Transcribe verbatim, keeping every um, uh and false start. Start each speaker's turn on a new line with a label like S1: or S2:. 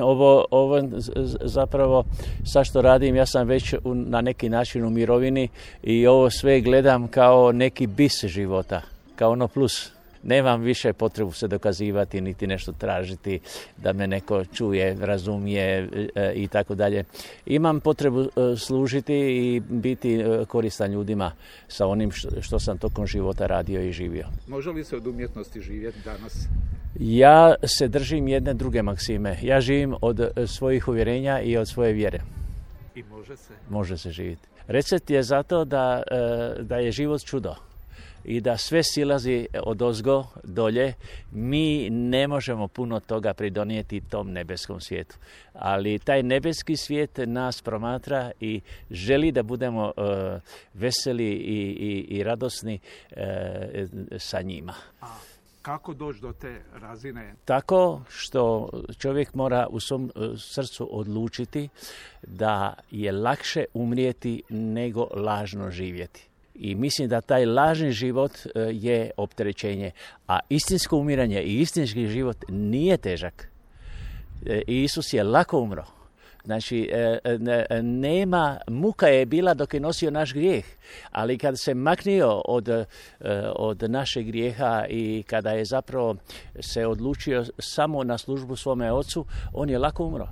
S1: Ovo, ovo zapravo, sad što radim, ja sam već u, na neki način u mirovini i ovo sve gledam kao neki bis života, kao ono plus. Nemam više potrebu se dokazivati, niti nešto tražiti, da me neko čuje, razumije e, i tako dalje. Imam potrebu e, služiti i biti e, koristan ljudima sa onim što, što sam tokom života radio i živio.
S2: Može li se od umjetnosti živjeti danas?
S1: Ja se držim jedne druge maksime. Ja živim od svojih uvjerenja i od svoje vjere.
S2: I može se?
S1: Može se živjeti. Recept je zato da, da je život čudo i da sve silazi odozgo dolje. Mi ne možemo puno toga pridonijeti tom nebeskom svijetu. Ali taj nebeski svijet nas promatra i želi da budemo uh, veseli i, i, i radosni uh, sa njima.
S2: A kako doći do te razine?
S1: Tako što čovjek mora u svom srcu odlučiti da je lakše umrijeti nego lažno živjeti. I mislim da taj lažni život je opterećenje, a istinsko umiranje i istinski život nije težak. Isus je lako umro. Znači, nema, muka je bila dok je nosio naš grijeh, ali kad se maknio od, od našeg grijeha i kada je zapravo se odlučio samo na službu svome ocu, on je lako umro.